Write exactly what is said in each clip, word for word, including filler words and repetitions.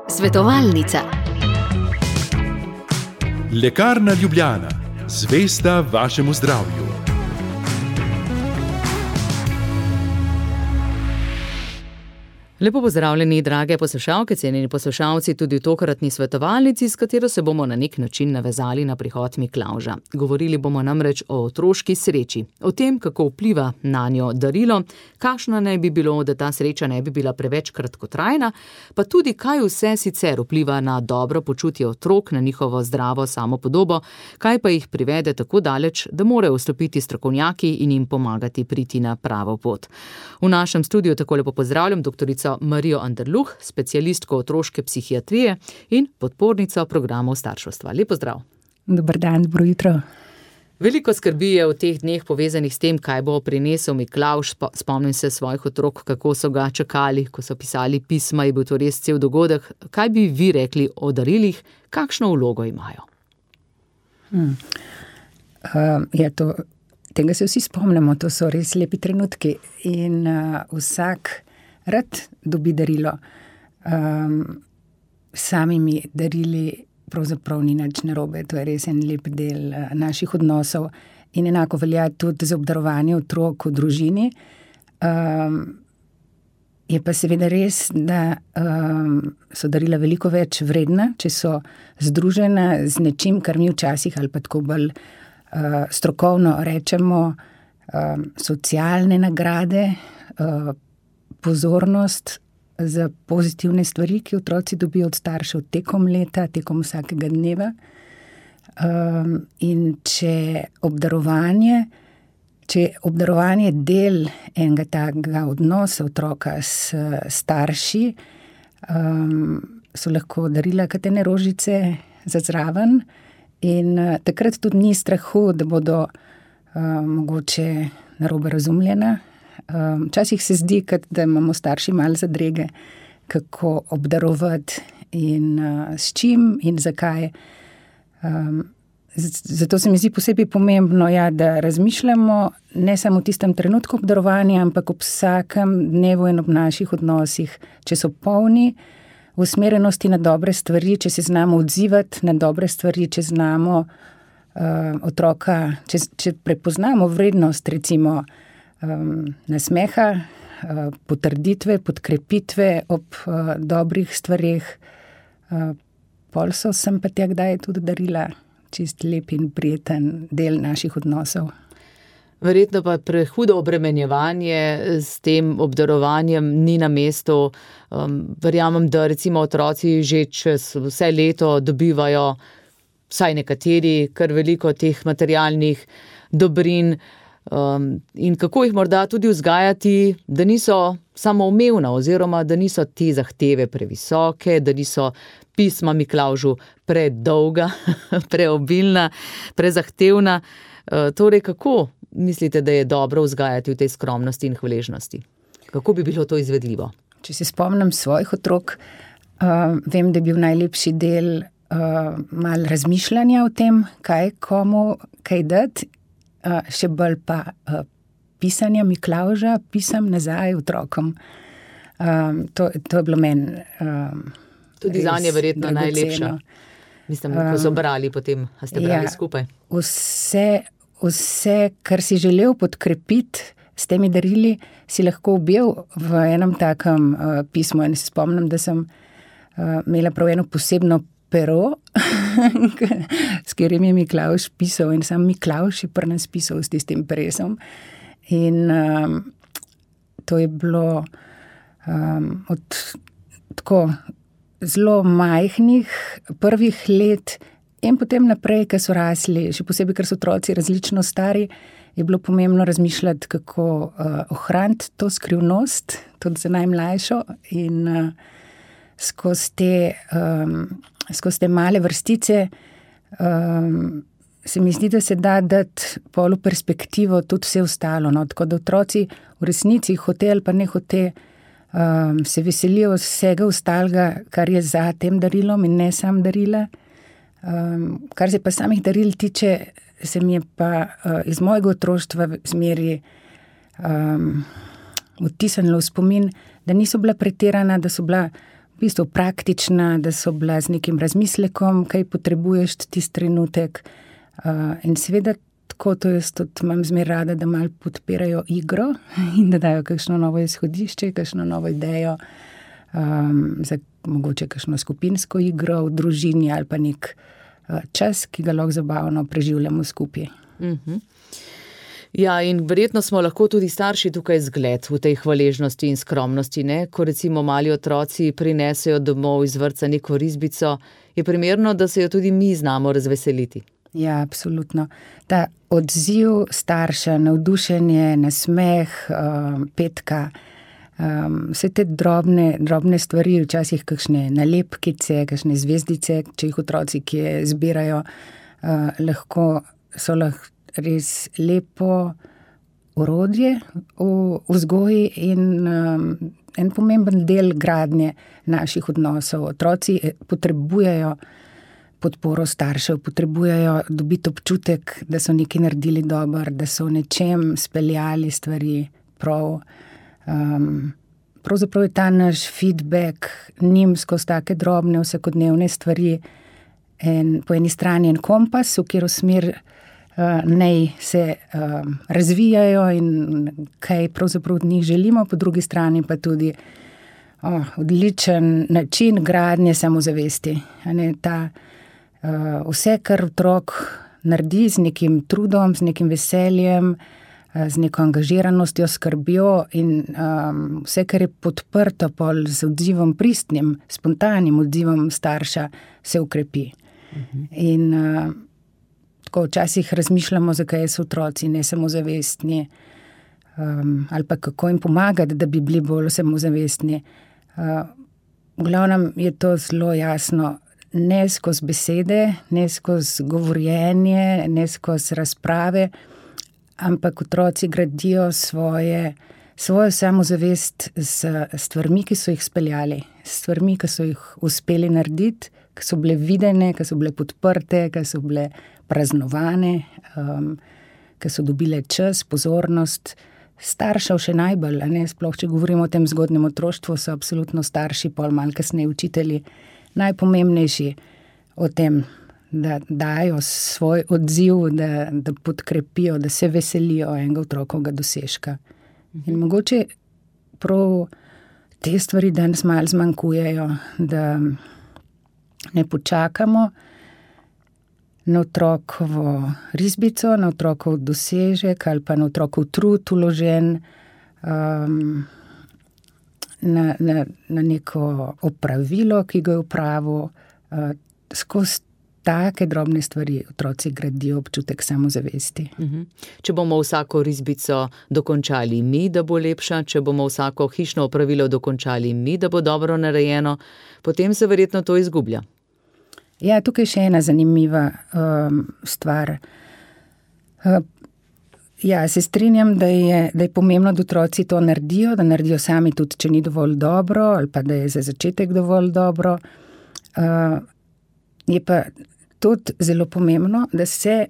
Svetovalnica. Lekarna Ljubljana, zvesta vašemu zdravju. Lepo pozdravljeni, drage poslušalke, cenjeni poslušalci, tudi v tokratni svetovalnici, s katero se bomo na nek način navezali na prihod Miklavža. Govorili bomo namreč o otroški sreči, o tem, kako vpliva nanjo darilo, kakšno naj bi bilo, da ta sreča ne bi bila preveč kratkotrajna, pa tudi kaj vse sicer vpliva na dobro počutje otrok, na njihovo zdravo samopodobo, kaj pa jih privede tako daleč, da morajo vstopiti strokovnjaki in jim pomagati priti na pravo pot. V našem studiu tako lepo pozdravljam doktorico Marijo Anderluh, specialistko otroške psihiatrije in podpornico programov starševstva. Lep pozdrav. Dober dan, dobro jutro. Veliko skrbi je v teh dneh povezanih s tem, kaj bo prinesel Miklavž. Spomnim se svojih otrok, kako so ga čakali, ko so pisali pisma, je bil to res cel dogodek. Kaj bi vi rekli o darilih, kakšno vlogo imajo? Hmm. Uh, je to, tega se vsi spomnimo, to so res lepi trenutki in uh, vsak rad dobi darilo. Um, samimi darili pravzaprav ni nič narobe, to je res en lep del uh, naših odnosov in enako velja tudi za obdarovanje otrok v družini. Um, je pa seveda res, da um, so darila veliko več vredna, če so združena z nečim, kar mi včasih ali pa tako bolj uh, strokovno rečemo um, socialne nagrade, uh, pozornost za pozitivne stvari, ki otroci dobijo od staršev tekom leta, tekom vsakega dneva. Um, in če obdarovanje, če obdarovanje del enega takega odnosa otroka s starši, um, so lahko darila katene rožice za zraven in uh, takrat tudi ni strahu, da bodo uh, mogoče narobe razumljena. Včasih um, se zdi, da imamo starši malo zadrege, kako obdarovati in uh, s čim in zakaj. Um, zato se mi zdi posebej pomembno, ja, da razmišljamo ne samo v tistem trenutku obdarovanja, ampak ob vsakem dnevu in ob naših odnosih, če so polni usmerjenosti na dobre stvari, če se znamo odzivati na dobre stvari, če znamo uh, otroka, če, če prepoznamo vrednost, recimo, Um, nasmeha, uh, potrditve, podkrepitve ob uh, dobrih stvareh. Uh, pol so sem pa tja kdaj tudi darila čist lep in prijeten del naših odnosov. Verjetno pa prehudo obremenjevanje s tem obdarovanjem ni na mestu. Um, verjamem, da recimo otroci že čez vse leto dobivajo, vsaj nekateri, kar veliko teh materialnih dobrin. Um, in kako jih morda tudi vzgajati, da niso samoumevna oziroma da niso te zahteve previsoke, da niso pisma Miklavžu predolga, preobilna, prezahtevna. Uh, torej, kako mislite, da je dobro vzgajati v tej skromnosti in hvaležnosti? Kako bi bilo to izvedljivo? Če se spomnim svojih otrok, uh, vem, da je bil najlepši del uh, malo razmišljanja o tem, kaj komu, kaj dati. Uh, še bolj pa uh, pisanja Miklavža, pisam nazaj otrokom. Um, to, to je bilo meni um, tudi zanje verjetno najlepša. Mislim, ko so brali potem, a ste brali ja, skupaj? Vse, vse, kar si želel podkrepiti s temi darili, si lahko objel v enem takem uh, pismu. In se spomnim, da sem uh, imela prav eno posebno pero, s katerim je Miklavž pisal in sam Miklavž je pri nas pisal s tistim peresom. In um, to je bilo um, od tako zelo majhnih prvih let in potem naprej, ko so rasli, še posebej, ker so otroci različno stari, je bilo pomembno razmišljati, kako uh, ohraniti to skrivnost, tudi za najmlajšo in uh, skozi te um, skozi te male vrstice, um, se mi zdi, da se da dati polu perspektivo tudi vse ostalo. No? Tako da otroci v resnici hote ali pa ne hote um, se veselijo vsega ostalega, kar je za tem darilom in ne sam darila. Um, kar se pa samih daril tiče, se mi je pa uh, iz mojega otroštva zmeri um, vtisnilo v spomin, da niso bila pretirana, da so bila v bistvu praktična, da so bila z nekim razmislekom, kaj potrebuješ tisti trenutek. Uh, in seveda tako to jaz tudi imam zmer rada, da malo podpirajo igro in da dajo kakšno novo izhodišče, kakšno novo idejo, um, za mogoče kakšno skupinsko igro v družini ali pa nek uh, čas, ki ga lahko zabavno preživljamo skupaj. Mhm. Ja, in verjetno smo lahko tudi starši tukaj zgled v tej hvaležnosti in skromnosti, ne? Ko recimo mali otroci prinesejo domov iz vrtca neko risbico, je primerno, da se jo tudi mi znamo razveseliti. Ja, absolutno. Ta odziv starša, navdušenje, nasmeh, um, petka, um, vse te drobne, drobne stvari, včasih kakšne nalepkice, kakšne zvezdice, če jih otroci kje zbirajo, uh, lahko so lahko res lepo orodje v vzgoji in um, en pomemben del gradnje naših odnosov. Otroci potrebujejo podporo staršev, potrebujejo dobiti občutek, da so nekaj naredili dobro, da so v nečem speljali stvari prav. Um, pravzaprav je ta naš feedback njim skozi take drobne vsakodnevne stvari en, po eni strani en kompas, v katero smer Uh, naj se uh, razvijajo in kaj pravzaprav od njih želimo, po drugi strani pa tudi oh, odličen način gradnje samozavesti. Ne, ta, uh, vse, kar otrok naredi z nekim trudom, z nekim veseljem, uh, z neko angažiranostjo, skrbjo in um, vse, kar je podprto pol z odzivom pristnim, spontanim odzivom starša, se ukrepi. Mhm. In uh, Ko včasih razmišljamo, zakaj so otroci nesamozavestni, um, ali pa kako jim pomagati, da bi bili bolj samozavestni. Uh, v glavnem je to zelo jasno, ne skozi besede, ne skozi govorjenje, ne skozi razprave, ampak otroci gradijo svoje, svojo samozavest s stvarmi, ki so jih speljali, s stvarmi, ki so jih uspeli narediti, ki so bile videne, ki so bile podprte, ki so bile praznovane, um, ki so dobile čas, pozornost. Staršev še najbolj, a ne, sploh če govorimo o tem zgodnjem otroštvu, so absolutno starši, pol malo kasneje učitelji, najpomembnejši o tem, da dajo svoj odziv, da, da podkrepijo, da se veselijo enega otrokovega dosežka. In mogoče prav te stvari danes malo zmanjkujejo, da ne počakamo na otrokovo risbico, na otrokov dosežek ali pa na otrokov trud vložen, um, na, na, na neko opravilo, ki ga je opravil. Uh, skozi take drobne stvari otroci gradijo občutek samozavesti. Mhm. Če bomo vsako risbico dokončali mi, da bo lepša, če bomo vsako hišno opravilo dokončali mi, da bo dobro narejeno, potem se verjetno to izgublja. Ja, tukaj je še ena zanimiva um, stvar. Uh, ja, se strinjam, da je, da je pomembno, da otroci to naredijo, da naredijo sami tudi, če ni dovolj dobro, ali pa da je za začetek dovolj dobro. Uh, je pa tudi zelo pomembno, da se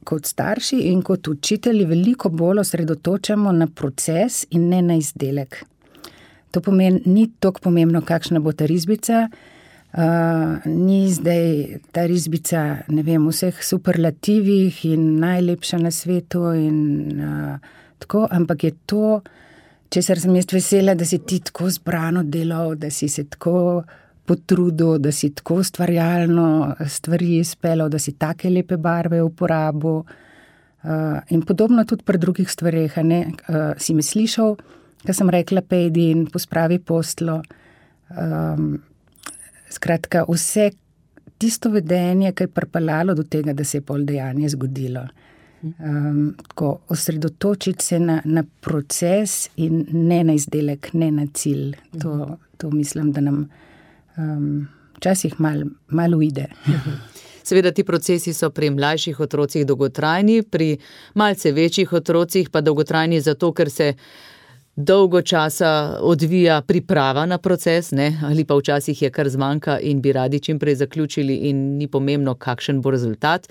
kot starši in kot učitelji veliko bolj osredotočamo na proces in ne na izdelek. To pomeni, ni toliko pomembno, kakšna bo ta risbica, Uh, ni zdaj ta risbica, ne vem, vseh superlativih in najlepša na svetu in uh, tako, ampak je to, česar sem jaz vesela, da si ti tako zbrano delal, da si se tako potrudil, da si tako ustvarjalno stvari izpeljal, da si take lepe barve uporabil. Uh, in podobno tudi pri drugih stvareh, a ne, uh, si me slišal, ko sem rekla, pejdi in pospravi postlo. Um, Skratka, vse tisto vedenje, ki je pripeljalo do tega, da se je pol dejanje zgodilo. Um, tako, osredotočiti se na, na proces in ne na izdelek, ne na cilj. To, to mislim, da nam um, včasih malo mal uide. Seveda ti procesi so pri mlajših otrocih dolgotrajni, pri malce večjih otrocih pa dolgotrajni zato, ker se dolgo časa odvija priprava na proces, ne? Ali pa včasih je kar zmanjka in bi radi čim prej zaključili in ni pomembno, kakšen bo rezultat.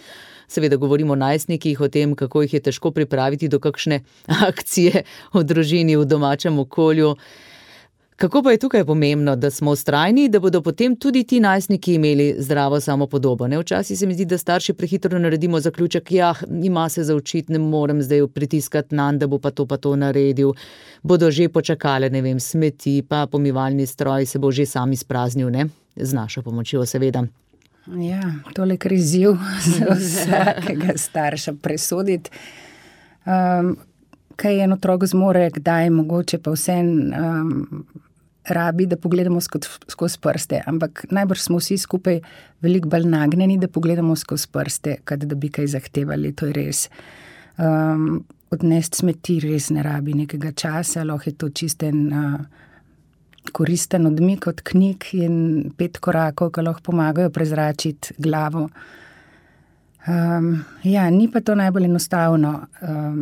Seveda govorimo o najstnikih, o tem, kako jih je težko pripraviti do kakšne akcije v družini, v domačem okolju. Kako pa je tukaj pomembno, da smo vztrajni, da bodo potem tudi ti najstniki imeli zdravo samopodobo? Ne? Včasih se mi zdi, da starši prehitro naredimo zaključek, ja, ima se za učiti, ne morem zdaj pritiskati nanj, da bo pa to pa to naredil. Bodo že počakale, ne vem, smeti, pa pomivalni stroj se bo že sam izpraznil, ne? Z našo pomočjo, seveda. Ja, tole je izziv za vsakega starša presoditi. Um, kaj en otrok zmore, kdaj mogoče pa vsem um, rabi, da pogledamo skozi, skozi prste. Ampak najbrž smo vsi skupaj veliko bolj nagnjeni, da pogledamo skozi prste, kad da bi kaj zahtevali, to je res. Um, odnesti smeti res ne rabi nekega časa, lahko je to čisten uh, koristen odmik od knjig in pet korakov, ki lahko pomagajo prezračiti glavo. Um, ja, ni pa to najbolj enostavno. Um,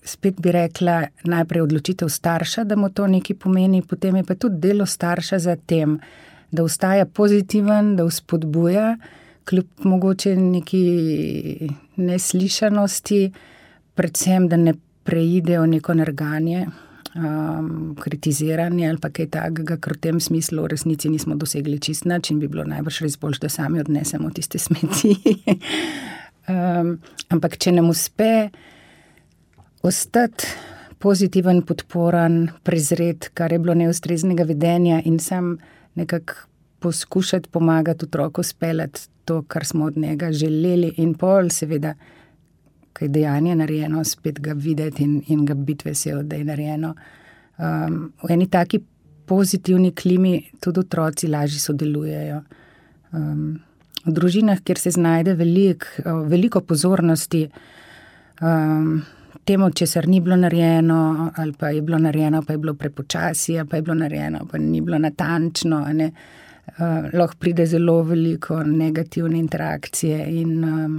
spet bi rekla, najprej odločitev starša, da mu to nekaj pomeni, potem je pa tudi delo starša za tem, da ostaja pozitiven, da vzpodbuja, kljub mogoče neki neslišanosti, predvsem, da ne preidejo neko nerganje, um, kritiziranje ali pa kaj takega, ker v tem smislu v resnici nismo dosegli čist nič in bi bilo najbrž res boljše, da sami odnesemo tiste smeti. um, ampak če nam uspe ostati pozitiven, podporen, prezret, kar je bilo neustreznega vedenja in sam nekako poskušati pomagati otroku speljati to, kar smo od njega želeli in pol, seveda, kaj dejanje narejeno, spet ga videti in, in ga biti vesel, da je narejeno. Um, v eni taki pozitivni klimi tudi otroci lažje sodelujejo. Um, v družinah, kjer se znajde velik, veliko pozornosti, um, temu, česar ni bilo narejeno, ali pa je bilo narejeno, pa je bilo prepočasi, ali pa je bilo narejeno, pa ni bilo natančno, ne. Uh, lahko pride zelo veliko negativne interakcije in um,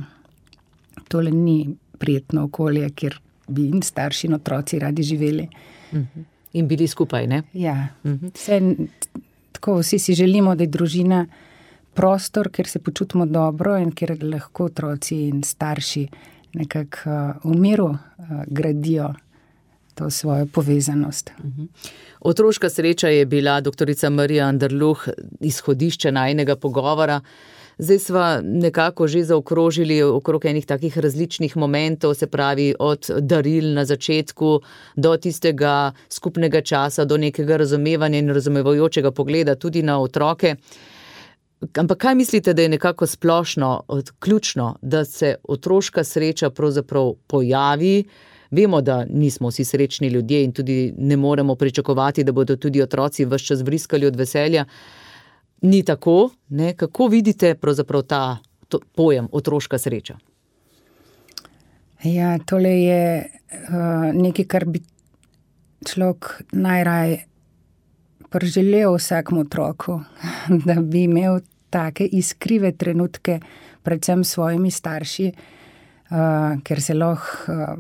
tole ni prijetno okolje, kjer bi in starši in otroci radi živeli. Uh-huh. In bili skupaj, ne? Ja. Uh-huh. Vse, tako vsi si želimo, da je družina prostor, kjer se počutimo dobro in kjer lahko otroci in starši nekako uh, v miru uh, gradijo to svojo povezanost. Uh-huh. Otroška sreča je bila doktorica Marija Anderluh izhodišče najinega pogovora. Zdaj sva nekako že zaokrožili okrog enih takih različnih momentov, se pravi od daril na začetku do tistega skupnega časa, do nekega razumevanja in razumevajočega pogleda tudi na otroke. Ampak kaj mislite, da je nekako splošno, ključno, da se otroška sreča pravzaprav pojavi? Vemo, da nismo vsi srečni ljudje in tudi ne moremo pričakovati, da bodo tudi otroci ves čas vriskali od veselja. Ni tako, ne? Kako vidite pravzaprav ta to, pojem otroška sreča? Ja, tole je uh, nekaj, kar bi človek najraj priželel vsakmu otroku, da bi imel take iskrive trenutke, predvsem s svojimi starši, uh, ker se lahko uh,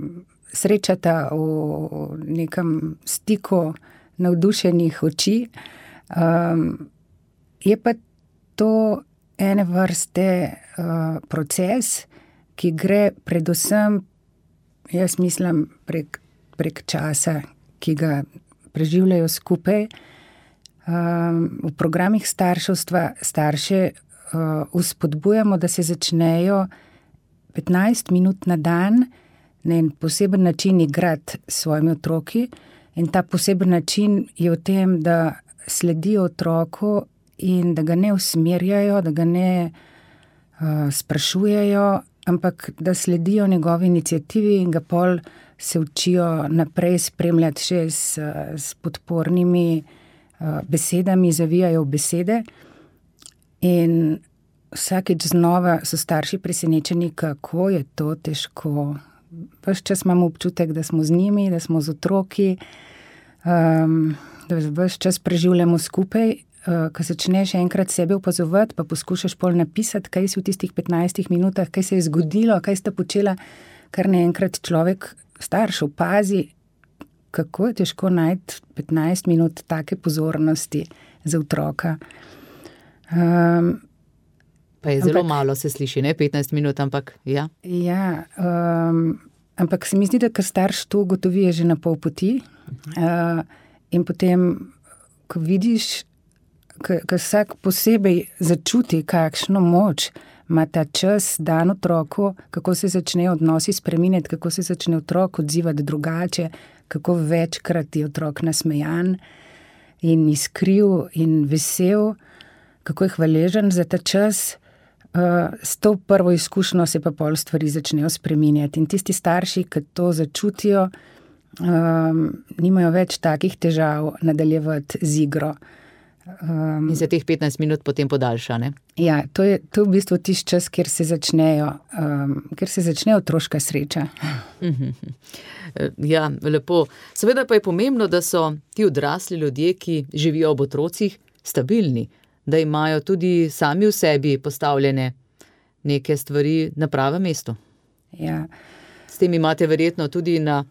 srečata v nekem stiku navdušenih oči. Um, je pa to ene vrste uh, proces, ki gre predvsem, jaz mislim, prek, prek časa, ki ga preživljajo skupaj. Um, v programih starševstva starše uh, vzpodbujamo, da se začnejo petnajst minut na dan na en poseben način igrati s svojimi otroki in ta poseben način je v tem, da sledijo otroku in da ga ne usmerjajo, da ga ne uh, sprašujejo, ampak da sledijo njegovi iniciativi in ga pol se učijo naprej spremljati še s, s podpornimi uh, besedami, zavijajo v besede. In vsakeč znova so starši presenečeni, kako je to težko. Ves čas imamo občutek, da smo z njimi, da smo z otroki, um, da ves čas preživljamo skupaj. Uh, ko začneš enkrat sebe opazovati, pa poskušaš pol napisati, kaj si v tistih petnajstih minutah, kaj se je zgodilo, kaj sta počela, kar naenkrat človek, starš, opazi, kako je težko najti petnajst minut take pozornosti za otroka. Um, pa je zelo ampak, malo se sliši, ne? petnajst minut, ampak ja. Ja, um, ampak se mi zdi, da kar starš to ugotovi že na pol poti uh, in potem ko vidiš, ko vsak posebej začuti, kakšno moč ima ta čas dan otroku, kako se začne odnosi spreminjati, kako se začne otrok odzivati drugače, kako večkrat je otrok nasmejan in iskriv in vesel, kako je hvaležen za ta čas. S to prvo izkušnjo se pa pol stvari začnejo spreminjati. In tisti starši, ki to začutijo, um, nimajo več takih težav nadaljevati z igro. Um, in se teh petnajst minut potem podaljša, ne? Ja, to je, to je v bistvu tisti čas, kjer se začnejo, um, kjer se začne otroška sreča. Ja, lepo. Seveda pa je pomembno, da so ti odrasli ljudje, ki živijo ob otrocih, stabilni, da imajo tudi sami v sebi postavljene neke stvari na pravem mestu. Ja. S tem imate verjetno tudi na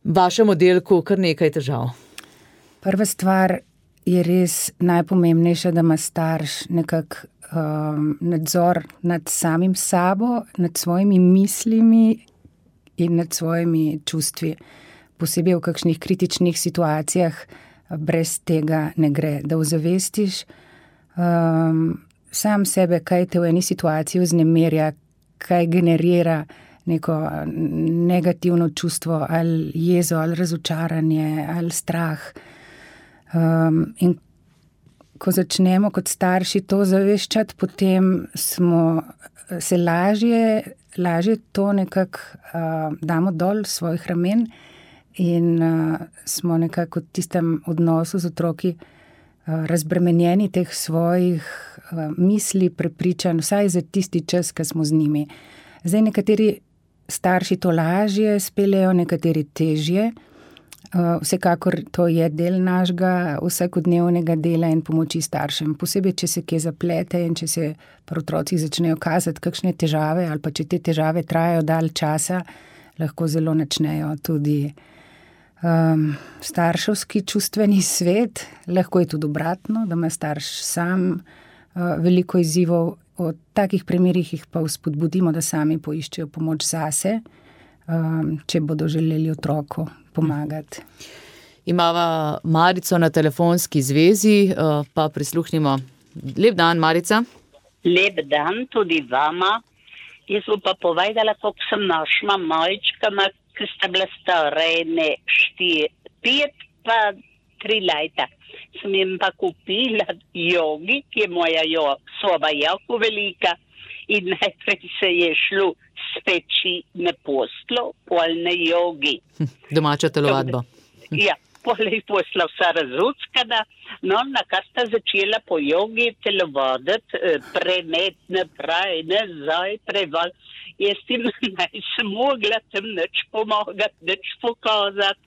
vašem oddelku kar nekaj težav. Prva stvar je res najpomembnejša, da ima starš nekak um, nadzor nad samim sabo, nad svojimi mislimi in nad svojimi čustvi. Posebej v kakšnih kritičnih situacijah brez tega ne gre. Da ozavestiš um, sam sebe, kaj te v eni situaciji vznemirja, kaj generira neko negativno čustvo, ali jezo, ali razočaranje, ali strah. Um, in ko začnemo kot starši to zaveščati, potem smo se lažje, lažje to nekako uh, damo dol svojih ramen in uh, smo nekako v tistem odnosu z otroki uh, razbremenjeni teh svojih uh, misli, prepričanj, vsaj za tisti čas, ko smo z njimi. Zdaj nekateri starši to lažje speljejo, nekateri težje. Uh, vsekakor to je del našega vsakodnevnega dela in pomoči staršem. Posebej, če se kje zaplete in če se pri otrocih začnejo kazati kakšne težave ali pa če te težave trajajo dalj časa, lahko zelo načnejo tudi um, starševski čustveni svet. Lahko je tudi obratno, da ima starš sam uh, veliko izzivov. O takih primerih jih pa vzpodbudimo, da sami poiščejo pomoč zase, um, če bodo želeli otroku pomagati. Imava Marico na telefonski zvezi, pa prisluhnimo. Lep dan, Marica. Lep dan tudi vama. Jaz bom pa povedala, koliko sem našla malčkama, ki sta bila stara ene štiri, pet pa tri leta. Sem jim pa kupila jogi, ki je moja jo, soba jako velika, in najprej se je šlo speči na poslo, pol na jogi. Domača telovadba. Ja, pol je posla vsa razuckana, no, nakar sta začela po jogi telovaditi, premet naprej, nazaj, preval. Jaz tim nisem mogla tem nič pomagati, nič pokazati,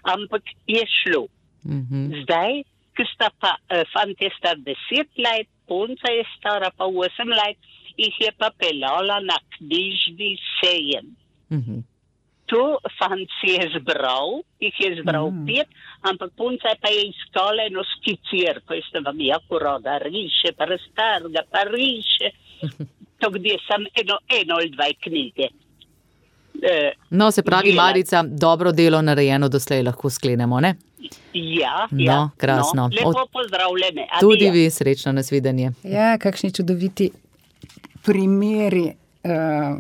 ampak je šlo. Mm-hmm. Zdaj, ki sta pa, fant je star deset let, punca je stara pa osem let, jih je pa pelala na knjižni sejem. Mm-hmm. Tu fant si je zbral, jih je zbral mm. pet, ampak punca pa je iskala eno skicirko, jaz vam jako rada riše, pa raztarga, pa riše. To gdje sam eno, eno ali dvaj knjige. E, no, se pravi, dela. Marica, dobro delo narejeno doslej lahko sklenemo, ne? Ja, no, ja. Krasno. No, lepo pozdravljene. Adijo. Tudi vi, srečno, nasvidenje. Ja, kakšni čudoviti primeri uh,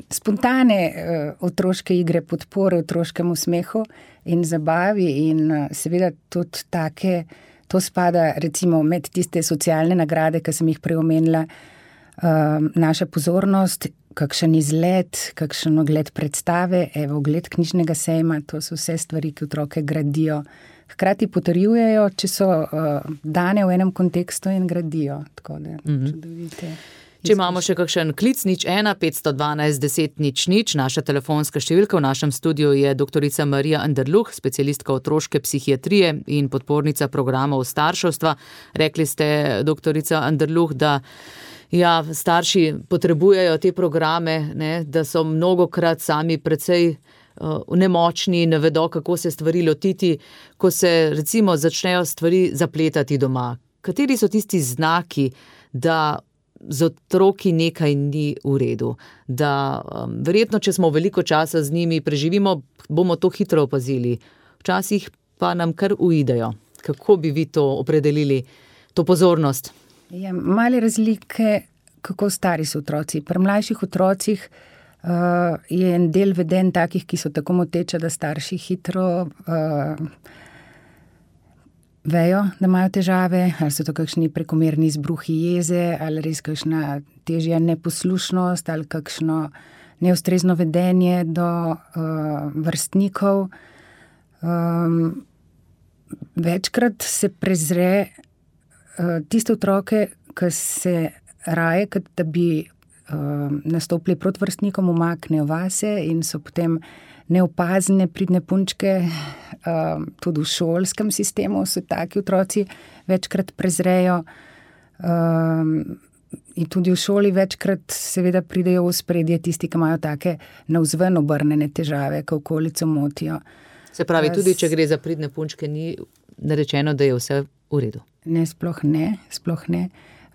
spontane uh, otroške igre, podpore otroškemu smehu in zabavi in uh, seveda tudi take, to spada recimo med tiste socialne nagrade, ki sem jih prej omenila, uh, naša pozornost, kakšen izlet, kakšen ogled predstave, evo, ogled knjižnega sejma, to so vse stvari, ki otroke gradijo. Hkrati potrjujejo, če so uh, dane v enem kontekstu in gradijo. Tako da, mm-hmm. čudovite. Če imamo še kakšen klic, nič ena, petsto dvanajst, deset, nič, nič, naša telefonska številka v našem studiu je doktorica Marija Anderluh, specialistka otroške psihiatrije in podpornica programov starševstva. Rekli ste, doktorica Anderluh, da ja, starši potrebujejo te programe, ne, da so mnogokrat sami precej uh, nemočni, ne vedo, kako se stvari lotiti, ko se recimo začnejo stvari zapletati doma. Kateri so tisti znaki, da z otroki nekaj ni v redu, da um, verjetno, če smo veliko časa z njimi preživimo, bomo to hitro opazili. Včasih pa nam kar uidejo. Kako bi vi to opredelili, to pozornost? Ja, male razlike, kako stari so otroci. Pri mlajših otrocih uh, je en del vedenj takih, ki so tako moteče, da starši hitro uh, vejo, da imajo težave, ali so to kakšni prekomerni izbruhi jeze, ali res kakšna težja neposlušnost, ali kakšno neustrezno vedenje do uh, vrstnikov. Um, večkrat se prezre uh, tiste otroke, ki se raje, kot da bi uh, nastopili proti vrstnikom, umaknejo vase in so potem neopazne, pridne punčke. Uh, tudi v šolskem sistemu so taki otroci večkrat prezrejo. Uh, in tudi v šoli večkrat seveda pridejo v ospredje tisti, ki imajo take navzven obrnjene težave, ki okolico motijo. Se pravi, tudi če gre za pridne punčke, ni narečeno, da je vse v redu? Ne, sploh ne, sploh ne.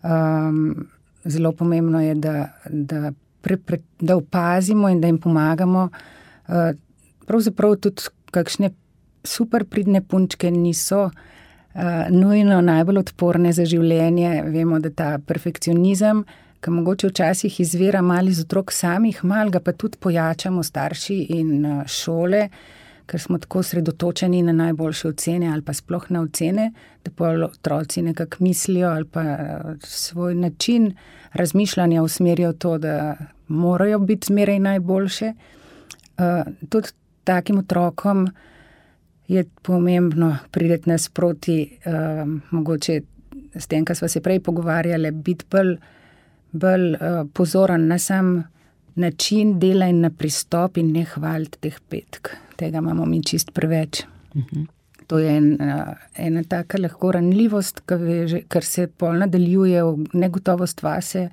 Um, zelo pomembno je, da, da, pre, pre, da opazimo in da jim pomagamo. Uh, pravzaprav tudi kakšne super pridne punčke niso uh, nujno najbolj odporne za življenje. Vemo, da ta perfekcionizem, ki mogoče včasih izvira malo iz otrok samih, malo ga pa tudi pojačamo starši in uh, šole, ker smo tako sredotočeni na najboljše ocene ali pa sploh na ocene, da pa otroci nekako mislijo ali pa svoj način razmišljanja usmerijo to, da morajo biti zmeraj najboljše. Uh, tudi takim otrokom je pomembno prideti nasproti, uh, mogoče s tem, kar sva se prej pogovarjali, biti bolj, bolj uh, pozoren na sam način dela in na pristop in ne hvaliti teh petk. Tega imamo mi čist preveč. Uh-huh. To je en, ena taka lahko ranljivost, ker se pol nadaljuje v negotovost vase,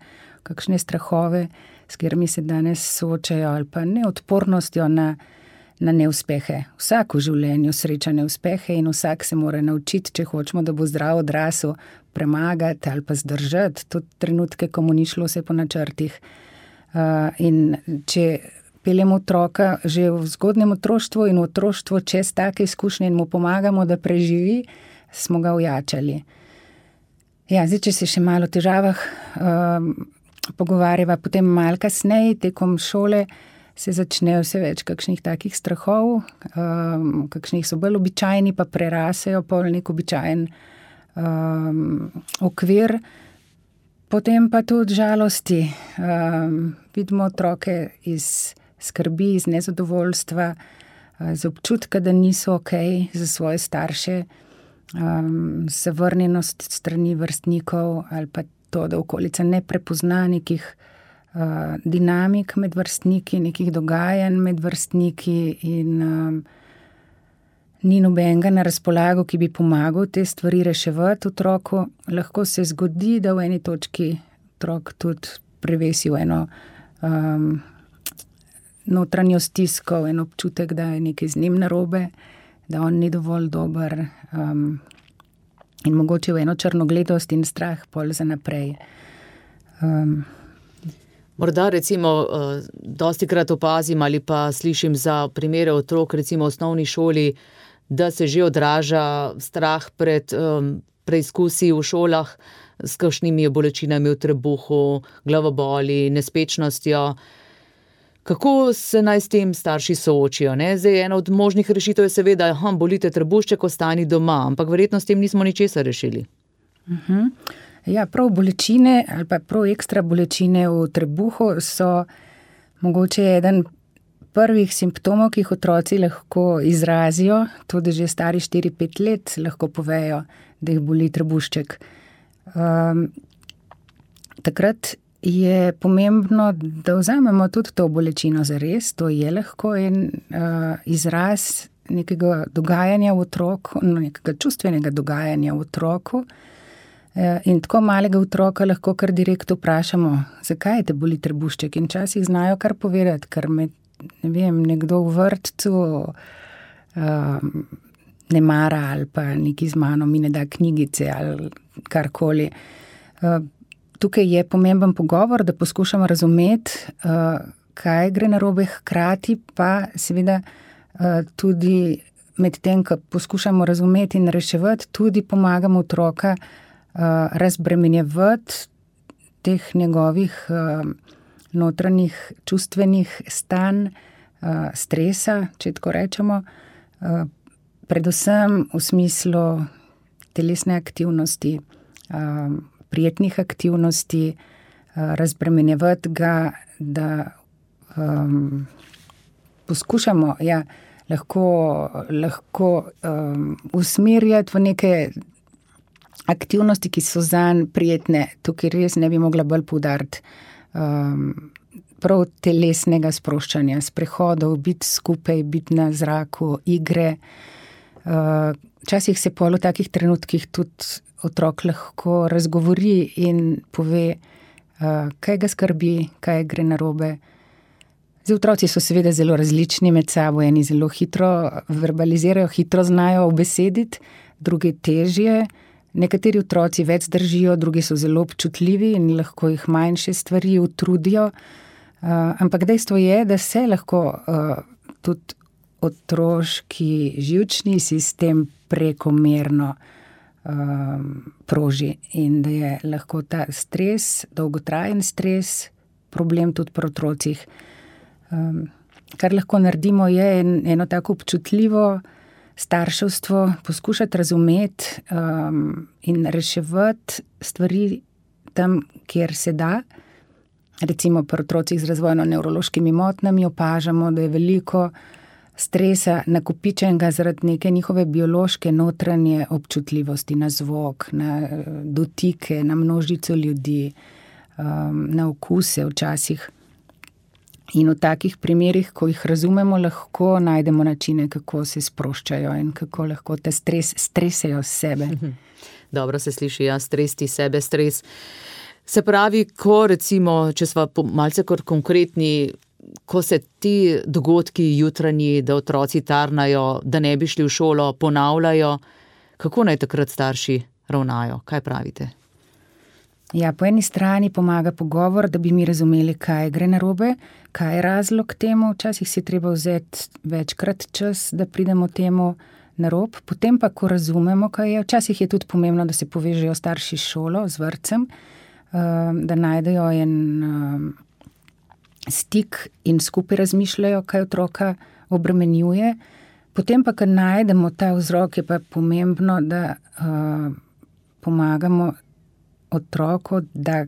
kakšne strahove, s katerimi se danes soočajo, ali pa neodpornostjo na, na neuspehe. Vsak v življenju sreča neuspehe in vsak se mora naučiti, če hočemo, da bo zdrav odrasel, premagati ali pa zdržati tudi trenutke, ko mu ni šlo vse po načrtih. Uh, in če peljemo otroka že v zgodnjem otroštvu in v otroštvu čez take izkušnje in mu pomagamo, da preživi, smo ga ojačali. Ja, zdaj, če se še malo o težavah um, pogovarjava, potem malo kasneje, tekom šole, se začnejo vse več kakšnih takih strahov, um, kakšnih so bolj običajni, pa prerasejo pol nek običajen um, okvir. Potem pa tudi žalosti. Um, vidimo otroke iz skrbi, iz nezadovoljstva, z občutka, da niso okej za svoje starše, um, zavrnjenost strani vrstnikov ali pa to, da okolica ne prepozna nekih uh, dinamik med vrstniki, nekih dogajanj med vrstniki in um, ni nobenega na razpolago, ki bi pomagal te stvari reševati otroku. Lahko se zgodi, da v eni točki otrok tudi prevesi v eno um, notranjo stisko, en občutek, da je nekaj z njim narobe, da on ni dovolj dober um, in mogoče v eno črnogledost in strah pol za naprej. Um, Morda recimo dostikrat opazim ali pa slišim za primere otrok, recimo v osnovni šoli, da se že odraža strah pred um, preizkusi v šolah s kakšnimi bolečinami v trebuhu, glavoboli, nespečnostjo. Kako se naj s tem starši soočijo? Ne? Zdaj, ena od možnih rešitev je seveda, da bolite trebušček, ostani doma, ampak verjetno s tem nismo ničesar rešili. Uh-huh. Ja, prav bolečine ali pa prav ekstra bolečine v trebuhu so mogoče eden prvih simptomov, ki jih otroci lahko izrazijo, tudi že stari štiri pet let lahko povejo, da jih boli trebušček. Um, takrat je pomembno, da vzamemo tudi to bolečino zares, to je lahko en uh, izraz nekega dogajanja v otroku, nekega čustvenega dogajanja v otroku. In tako malega otroka lahko kar direkt vprašamo, zakaj te boli trebušček, in včasih znajo kar povedati, ker me, ne vem, nekdo v vrtcu um, ne mara ali pa neki z mano mi ne da knjigice ali karkoli. Uh, tukaj je pomemben pogovor, da poskušamo razumeti, uh, kaj gre narobe, hkrati pa seveda uh, tudi med tem, ko poskušamo razumeti in reševati, tudi pomagamo otroka uh, razbremenjevati teh njegovih uh, notranjih čustvenih stanj, uh, stresa, če tako rečemo, uh, predvsem v smislu telesne aktivnosti, uh, prijetnih aktivnosti, uh, razbremenjevati ga, da um, poskušamo, ja, lahko, lahko um, usmerjati v neke aktivnosti, ki so zanj prijetne. Tukaj res ne bi mogla bolj poudariti um, prav telesnega sproščanja, sprehodov, biti skupaj, biti na zraku, igre. Včasih uh, se pol v takih trenutkih tudi otrok lahko razgovori in pove, uh, kaj ga skrbi, kaj gre narobe. Zdaj, otroci so seveda zelo različni med sabo, eni zelo hitro verbalizirajo, hitro znajo ubesediti, drugi težje. Nekateri otroci več držijo, drugi so zelo občutljivi in lahko jih manjše stvari utrudijo. Uh, ampak dejstvo je, da se lahko uh, tudi otroški živčni sistem prekomerno um, proži in da je lahko ta stres, dolgotrajen stres, problem tudi pri otrocih. Um, kar lahko naredimo je en, eno tako občutljivo starševstvo, poskušati razumeti um, in reševati stvari tam, kjer se da. Recimo pri otrocih z razvojno-nevrološkimi motnjami opažamo, da je veliko stresa nakopičenega zaradi neke njihove biološke notranje občutljivosti na zvok, na dotike, na množico ljudi, um, na okuse včasih. In v takih primerih, ko jih razumemo, lahko najdemo načine, kako se sproščajo in kako lahko ta stres stresejo sebe. Dobro se sliši, ja, stresti sebe, stres. Se pravi, ko recimo, če sva malce kot konkretni, ko se ti dogodki jutranji, da otroci tarnajo, da ne bi šli v šolo, ponavljajo, kako naj takrat starši ravnajo? Kaj pravite? Ja, po eni strani pomaga pogovor, da bi mi razumeli, kaj gre narobe, kaj je razlog temu. Včasih si treba vzeti večkrat čas, da pridemo temu na rob. Potem pa, ko razumemo, kaj je, včasih je tudi pomembno, da se povežejo starši s šolo, z vrtcem, da najdejo en stik in skupaj razmišljajo, kaj otroka obremenjuje. Potem pa, ko najdemo ta vzrok, je pa pomembno, da pomagamo otroku, da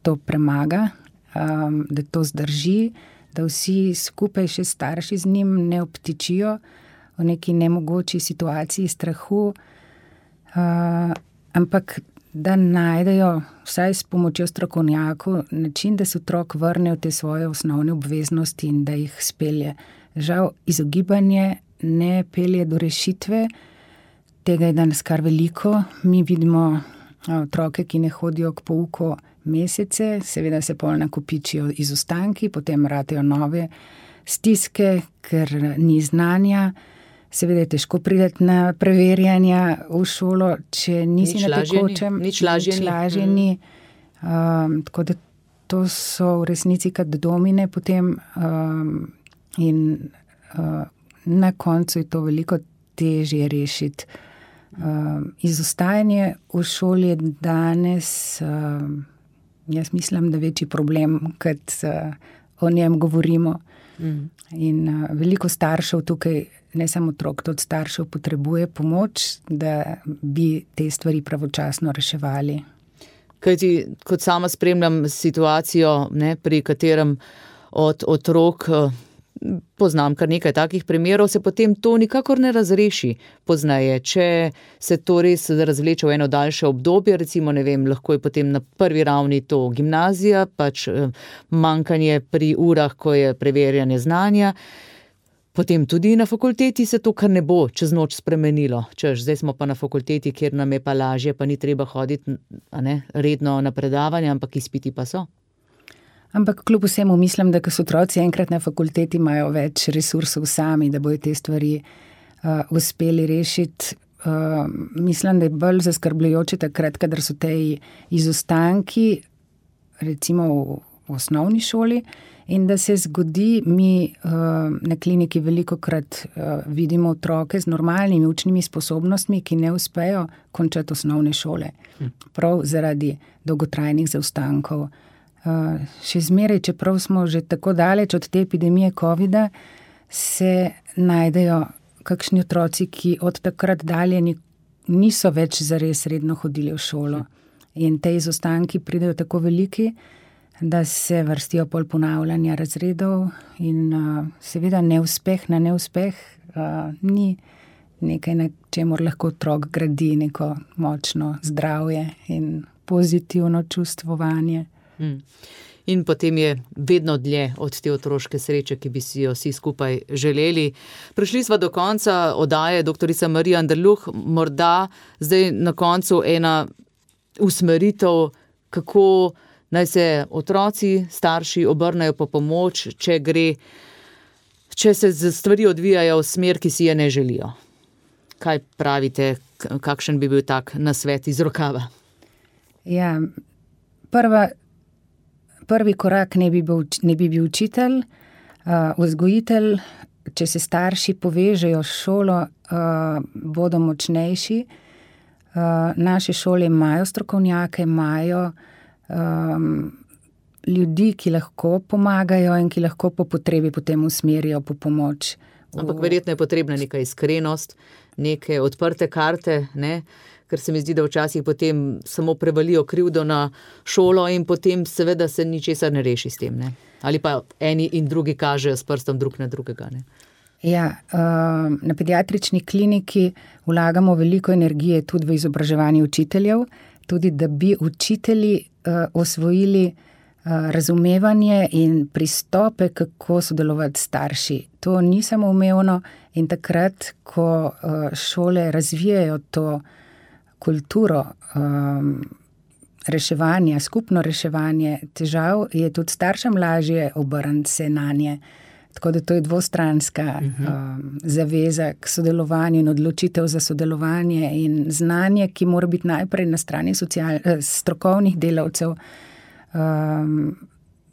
to premaga, um, da to zdrži, da vsi skupaj še starši z njim ne obtičijo v neki nemogoči situaciji strahu, uh, ampak da najdejo vsaj s pomočjo strokovnjakov način, da se otrok vrne v te svoje osnovne obveznosti in da jih spelje. Žal, izogibanje ne pelje do rešitve, tega je danes kar veliko. Mi vidimo otroke, ki ne hodijo k pouku mesece, seveda se pol nakopičijo izostanki, potem ratejo nove stiske, ker ni znanja. Seveda je težko priti na preverjanja v šolo, če nisi nič na tekočem, nič lažje ni. Um, tako da to so v resnici kot domine potem um, in uh, na koncu je to veliko težje rešiti. Uh, izostajanje v šoli je danes, uh, jaz mislim, da večji problem, kot uh, o njem govorimo. Mm. In uh, veliko staršev tukaj, ne samo otrok, tudi staršev potrebuje pomoč, da bi te stvari pravočasno reševali. Kajti, kot sama spremljam situacijo, ne, pri katerem od otrok poznam kar nekaj takih primerov, se potem to nikakor ne razreši pozneje. Če se to res razvleče v eno daljše obdobje, recimo, ne vem, lahko je potem na prvi ravni to gimnazija, pač manjkanje pri urah, ko je preverjanje znanja, potem tudi na fakulteti se to kar ne bo čez noč spremenilo. Češ, zdaj smo pa na fakulteti, kjer nam je pa lažje, pa ni treba hoditi, a ne, redno na predavanja, ampak izpiti pa so. Ampak kljub vsemu mislim, da ko so otroci enkrat na fakulteti, imajo več resursov sami, da bojo te stvari uh, uspeli rešiti. Uh, mislim, da je bolj zaskrbljujoče takrat, kadar so te izostanki, recimo v v osnovni šoli in da se zgodi, mi na kliniki velikokrat vidimo otroke z normalnimi učnimi sposobnostmi, ki ne uspejo končati osnovne šole. Prav zaradi dolgotrajnih zaostankov. Še zmeraj, čeprav smo že tako daleč od te epidemije covida, se najdejo kakšni otroci, ki od takrat dalje niso več zares redno hodili v šolo. In te izostanki pridejo tako veliki, da se vrstijo pol ponavljanja razredov in uh, seveda neuspeh na neuspeh uh, ni nekaj, na čemur lahko otrok gradi neko močno zdravje in pozitivno čustvovanje. Hmm. In potem je vedno dlje od te otroške sreče, ki bi si jo vsi skupaj želeli. Prišli smo do konca oddaje doktorica Marija Anderluh, morda zdaj na koncu ena usmeritev, kako naj se otroci, starši obrnejo po pomoč, če gre, če se stvari odvijajo v smer, ki si je ne želijo. Kaj pravite, kakšen bi bil tak nasvet iz rokava? Ja, prva, prvi korak ne bi bil, ne bi bil učitelj, uh, vzgojitelj, če se starši povežejo s šolo, uh, bodo močnejši. Uh, naše šole imajo strokovnjake, imajo um, ljudi, ki lahko pomagajo in ki lahko po potrebi potem usmerijo po pomoč. Ampak verjetno je potrebna neka iskrenost, neke odprte karte, ne? Ker se mi zdi, da včasih potem samo prevalijo krivdo na šolo in potem seveda se ničesar ne reši s tem, ne? Ali pa eni in drugi kažejo s prstom drug na drugega, ne? Ja, na pediatrični kliniki vlagamo veliko energije tudi v izobraževanje učiteljev, tudi da bi učitelji osvojili razumevanje in pristope, kako sodelovati s starši. To ni samoumevno in takrat, ko šole razvijajo to kulturo reševanja, skupno reševanje težav, je tudi staršem lažje obrniti se nanje. Tako da to je dvostranska uh-huh. um, zaveza k sodelovanju in odločitev za sodelovanje in znanje, ki mora biti najprej na strani social, eh, strokovnih delavcev. Um,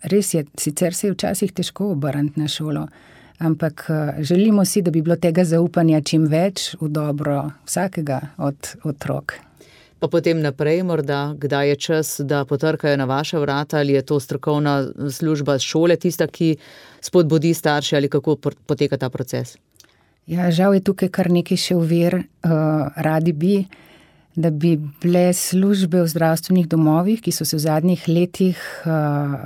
res je, sicer se je včasih težko obrniti na šolo, ampak uh, želimo si, da bi bilo tega zaupanja čim več v dobro vsakega od otrok. Pa potem naprej morda, kdaj je čas, da potrkajo na vaša vrata, ali je to strokovna služba šole tista, ki spodbudi starše, ali kako poteka ta proces? Ja, žal je tukaj kar nekaj še ovir. Uh, radi bi, da bi bile službe v zdravstvenih domovih, ki so se v zadnjih letih uh,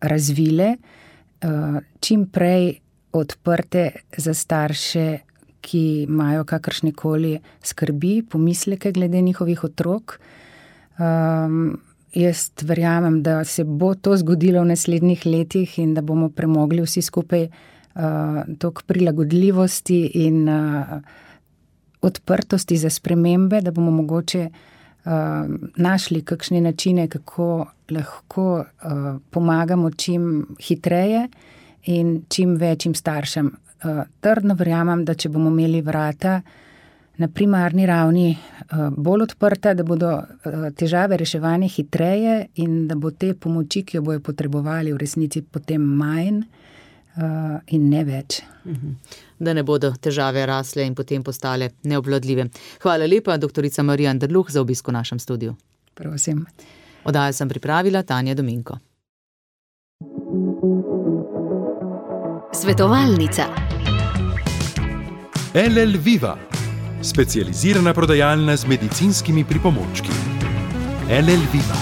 razvile, uh, čim prej odprte za starše, ki imajo kakršnekoli skrbi, pomisleke glede njihovih otrok. Um, jaz verjamem, da se bo to zgodilo v naslednjih letih in da bomo premogli vsi skupaj uh, toliko prilagodljivosti in uh, odprtosti za spremembe, da bomo mogoče uh, našli kakšne načine, kako lahko uh, pomagamo čim hitreje in čim večjim staršem. Trdno verjamem, da če bomo imeli vrata na primarni ravni bolj odprta, da bodo težave reševane hitreje in da bo te pomoči, ki jo bojo potrebovali v resnici potem manj in ne več. Da ne bodo težave rasle in potem postale neobvladljive. Hvala lepa, doktorica Marija Anderluh, za obisk v našem studiu. Prosim. Oddajo sem pripravila Tanja Dominko. Svetovalnica. L L Viva, specializirana prodajalna z medicinskimi pripomočki. L L Viva.